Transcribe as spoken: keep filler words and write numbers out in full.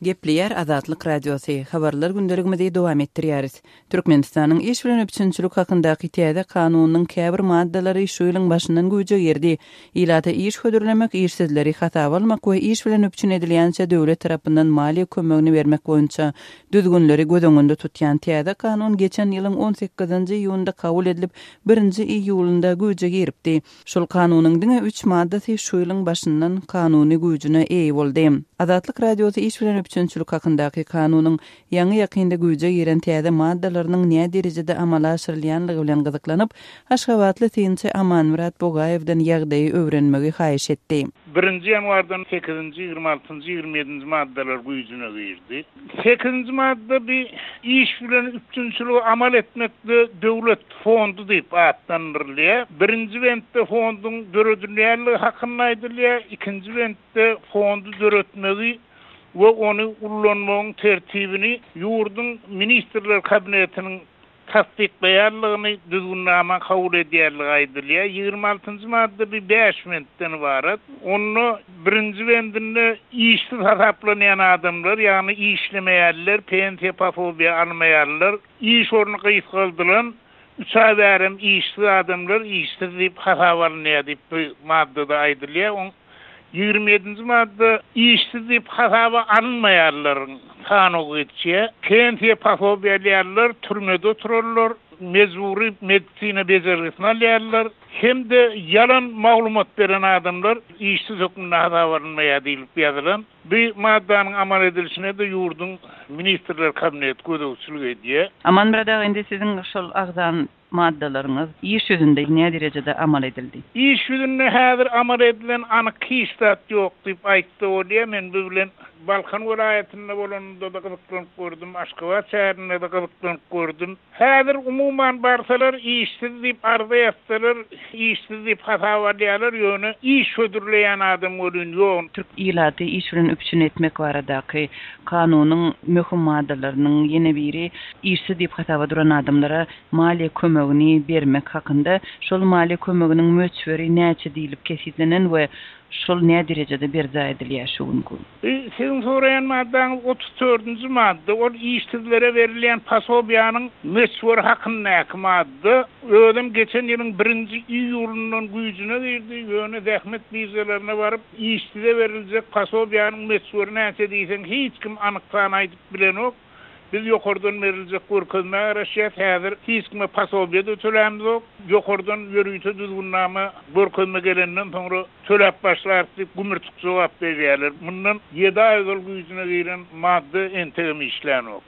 Gepleýär Azatlyk Radiosy, Habarlar gündeligimizi dowam etdirýäris. Türkmenistanyň iş bilen üpjünçilik hakyndaky täze kanunynyň käbir maddalary şu ýylyň başyndan güýje girdi. Ilata iş hödürlemek, işsizleri hasaba almak we iş bilen üpjün edilýänçä döwlet tarapyndan maliýe kömegini bermek boýunça düzgünleri göz öňünde tutýan täze kanun geçen ýylyň on sekizinji iýunda kabul edilip, birinji iýulynda güýje giripdi. Şol kanunyň diňe üç maddasy şu ýylyň başyndan kanuny güýjüne eýe boldy. Azatlyk Radiosy iş bilen üpjünçilik hakyndaky kanunyň ýaňy ýakynda güýje giren täze maddalarynyň nä derejede amala aşyrylýanlygy bilen gyzyklanyp, Aşgabatly synçy Amanmyrat Bugaýewden ýagdaýy öwrenmegi haýyş etdi. Birinji ýanwardan sekizinji, ýigrimi altynjy, ýigrimi ýedinji maddalar güýjüne girdi. Sekizinji madda bir iş bilen üpjünçiligi amal etmekde döwlet fondy diýip atlandyrylýar. Birinji bentde fonduň döredilýänligi hakynda aýdylýar, ikinji bentde fondy döretmegi we ony ullanmagyň tertibini ýurduň Ministrler Kabinetiniň tassyklaýanlygyny düzgünnama kabul edýänligi aýdylýar. Ýigrimi altynjy madda bir bäş bentden ybarat. Onda birinji bendinde işsiz hasaplanýan adamlar, ýagny işlemeýärler, pensiýa posobiýa almaýarlar, iş orny gysgaldylan üç aý bärem işsiz adamlar işsiz diýip hasap alynýar diýip bu maddada aýdylýar. Oň ýigrimi ýedinji madda işsiz diýip hasaba alynmaýarlaryň sanawy geçýär. Pensiýa posobiýa alýarlar, türmede oturarlar, mejbury medisina bejergisini alýarlar, hem-de ýalan maglumat beren adamlar işsiz hökmünde hasaba alynmaýar diýilip ýazylan. Bu maddanyň amal edilişine de ýurduň Ministrler Kabineti gözegçilik edýär. Amanmyrat aga, indi siziň şol agzan maddalaryňyz iş ýüzünde näme derejede amal edildi? Iş ýüzünde häzir amal edilen anyk hiç zat ýok diýip aýtdy bolýar. Men bu bilen Balkan welaýatynda bolanymda da gyzyklanyp gördüm, Aşgabat şäherinde de gyzyklanyp gördüm. Häzir umuman barsalar işsiz diýip arza ýazsalar, işsiz diýip hasap alýarlar, ýöne iş hödürleýän adam welin ýok. Türk ilaty iş bilen üpjün etmek baradaky kanunyň möhüm maddalarynyň ýene biri işsiz diýip hasaba duran adamlara maliýe kömegini bermek hakynda. Şol maliýe kömeginiň möçberi näçe diýilip kesitlenen we şol näme derejede berjaý edilýär şu günki? E, siziň soraýan maddaňyz otuz dördünji madda, ol işsizlere berilýän posobiýanyň möçberi hakyndaky madda. Özüm geçen ýylyň birinji iýulyndan güýjüne girdi, ýöne zähmet biržalaryna baryp işsize beriljek posobiýanyň möçberi näçe diýseň hiç kim anyk san aýdyp bilenok. Biz ýokardan beriljek görkezme garaşýas, häzir hiç kime posobiýa da tölämizok. Ýokardan ýörite düzgünnama görkezme gelenden soňra töläp başlar diýip gümürtik jogap berýärler. Mundan ýedi aý ozal güýjüne giren madda entegem işlänok.